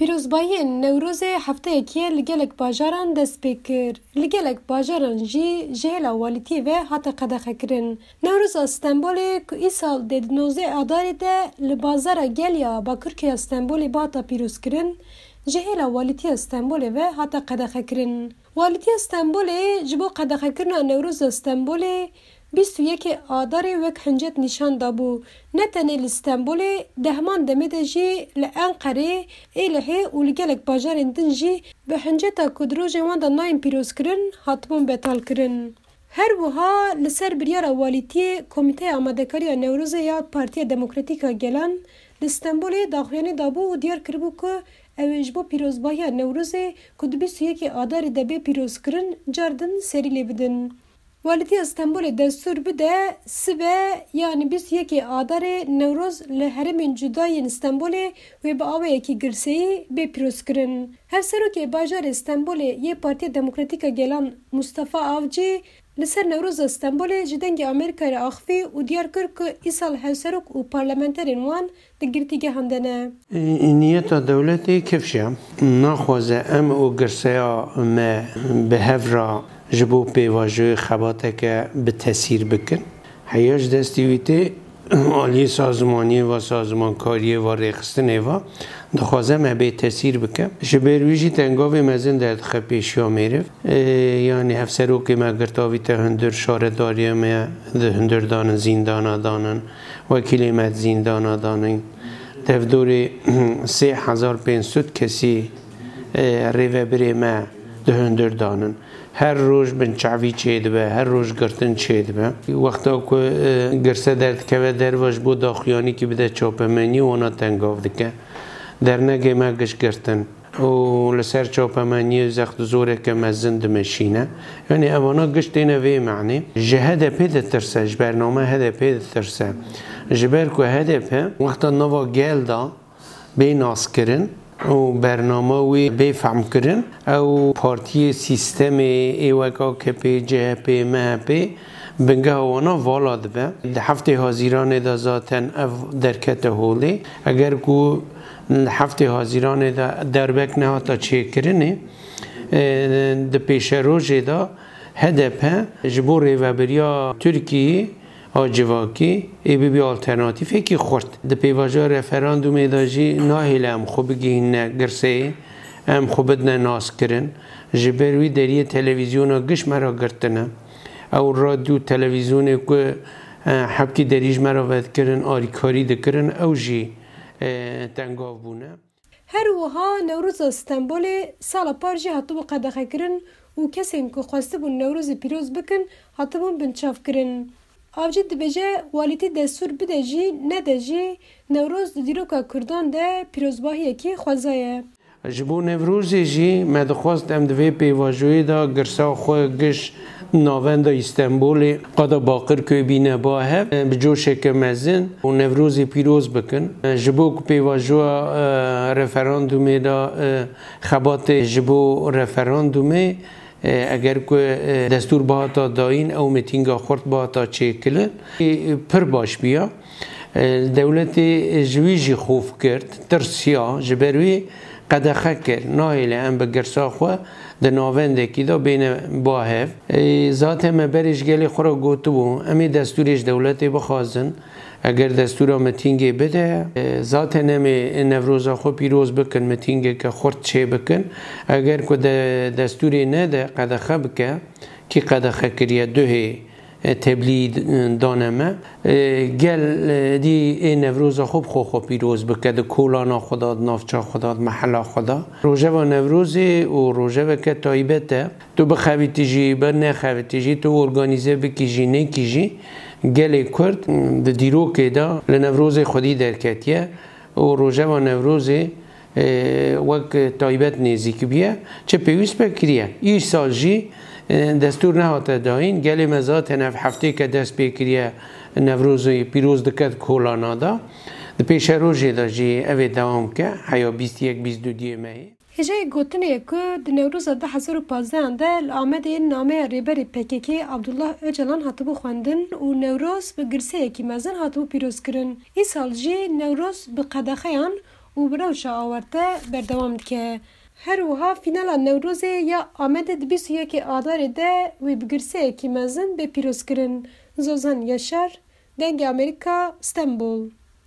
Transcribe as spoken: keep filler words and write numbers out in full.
Pîrozbahiyên Newrozê hefteyekî ye li gelek bajaran dest pê kir. Li gelek bajaran jî ji hêla walîtiyê ve hate qedexekirin. Newroza Stenbolê ku îsal dê di nozdeh Adarê de li bazara Gelya Bakurkirya Stenbolê bihata pîrozkirin, ji hêla walîtiya Stenbolê ve hate qedexekirin. Walîtiya Stenbolê ji bo qedexekirina Newroza Stenbolê bîst û yekê Adarê wek hincet nîşan dabû. Ne tenê li Stenbolê, di heman demê de jî li Enqerê, Êlihê û li gelek bajarên din jî bi hinceta ku di rojên wan de nayên pîrozkirin, hatibûn betalkirin. Her wiha li ser biryara walîtiyê Komîteya Amadekariya Newrozê ya Partiya Demokratîk a Gelan li Stenbolê daxuyanî dabû û diyar kiribû ku ew ê ji bo pîrozbahiya Newrozê ku di bîst û yekê Adarê de bê pîrozkirin, car din serî lê bidin. Walîtiya Stenbolê destûr bide sibe, yanî bîst û yekê Adarê, Newroz li herêmên cuda yên Stenbolê wê bi awayekî girseyî bê pîrozkirin. Hevserokê bajarê Stenbolê yê Partiya Demokratîk a Gelan Mustafa Avcî li ser Newroza Stenbolê ji Dengê Amerîkayê re axivî û diyar kir ku îsal hevserok û parlamenterên wan di girtîgehan de ne. Niyeta dewletê kifş e. Naxwaze em û girseya me bi hev re ji bo pêvajoyê xebateke bi tesîr bikin. Heya ji destî wî tê aliyê sazmaniyê ve, sazmankariyê ve, rêxistinê ve dixwaze me bê tesîr bike. Ji ber wî jî tengavê mezin derdixe pêşiya mêriv. Ê, yanî hevserokê me girtavî te hundir, şaredariya me di hundir danin, zîndana danin, wekîlê me di zîndana danin. Tevdorê sê hezar pênc sed kesî, e, rêvebirê me di hundir danin. Her roj binçavî çêdibe, her roj girtin çêdibe. Wexta ku, e, girse derdikeve derve ji bo daxuyanîkî bide çapemeniyê, wana tengav dike. Dernegê me giş girtin û li ser çapemeniyê zext zoreke mezin dimeşîne. Yanî evana giş têne vê manê. Ji H D P ditirse, ji bername H D P ditirse. Ji ber ku H D P wexta nava gel da bê naskirin û bernama wê bê fehmkirin, ew partiyê sîstemê ê wek A K P, C H P, M H P bingeha wana vala dibe. Di heftê Hazîranê de zaten ev derkete holê. Eger ku heftê Hazîranê de derbek nehata çêkirinê, e, di pêşerojê de H D P ji bo rêvebiriya Tirkiyeyê a civakî ê bibî alternatîfekî xurt. Di pêvajoya referandumê de jî nahêle em xwe bigihînine girseyê, em xwe bidine naskirin. Ji ber wî deriyê televîzyona giş me re girtine. Ew radyo televîzyonê ku, e, hepkî derî ji me re vedikirin, alîkarî dikirin, ew jî, e, tengav bûne. Her wiha Newroza Stenbolê sala par jî hatibû qedexekirin û kesên ku xwestibûn Newrozê pîroz bikin, hatibûn binçavkirin. Avcî dibêje, walîtî destûr bide jî, nede jî, Newroz di dîroka Kurdan de pîrozbahiyekî xweza ye. Ji bo Newrozê jî me dixwest em di vê pêvajoyê de girsa xwe giş navenda Îstenbolê, qada Baqirköy bîne ba hev, bi coşeke mezin û Newrozê pîroz bikin. Ji bo ku pêvajoya, e, referandumê de, e, xebatê ji bo referandumê, e, eger ku, e, destûr bihata dayîn, ew mitînga xurt bihata çêkirin, e, pir baş biya. E, dewletê ji wî jî xof kir, tirsiya, ji ber wî qedexe kir. Nahêle em bi girsa xwe di navendekî de bêne ba hev. E, zaten me berê ji gelê xwe re gotibû, em ê destûrê ji dewletê bixwazin. Eger destûra mitîngê bide, e, zaten em ê Newroza xwe pîroz bikin, mitîngeke xurt çê bikin. Eger ku de-, destûrê nede, qedexe bike, kî qedexe kiriye, duhê, e, teblî d-, dane me. E, gel, e, dî ê Newroza xwe bi xwe xwe pîroz bike, di kolana xwe de, di navça xwe de, di mehela xwe de. Rojeva Newrozê û rojeveke taybet e. Tu bixebitî jî, bi nexebitî jî, tu organîze bikî jî, nekî jî, gelê Kurd di dîrokê de li Newrozê xwedî derketiye û rojeva Newrozê, e, wek taybet nêzîk bûye, çi pêwîst be kiriye. Îsal jî, e, destûr nehate dayîn, gelê me zaten ev heftêke dest pê kiriye, Newrozê pîroz dike di kolana de. Di pêşerojê de jî ev ê dewam ke, heya bîst yek bîst du diyê mehê. Hêjayê gotinê ye ku di Newroza du hezar û pazdehan de li Amedê nameya rêberê P K K Abdullah Ocalan hatibû xwendin û Newroz bi girseyekî mezin hatibû pîrozkirin. Îsal jî Newroz bi qedexeyan û bi rewşa awarte berdewam dike. Her wiha fînala Newrozê ya Amedê di bîst û yekê Adarê de wê bi girseyekî mezin bê pîrozkirin. Zozan Yaşar, Dengê Amerîka, Stenbol.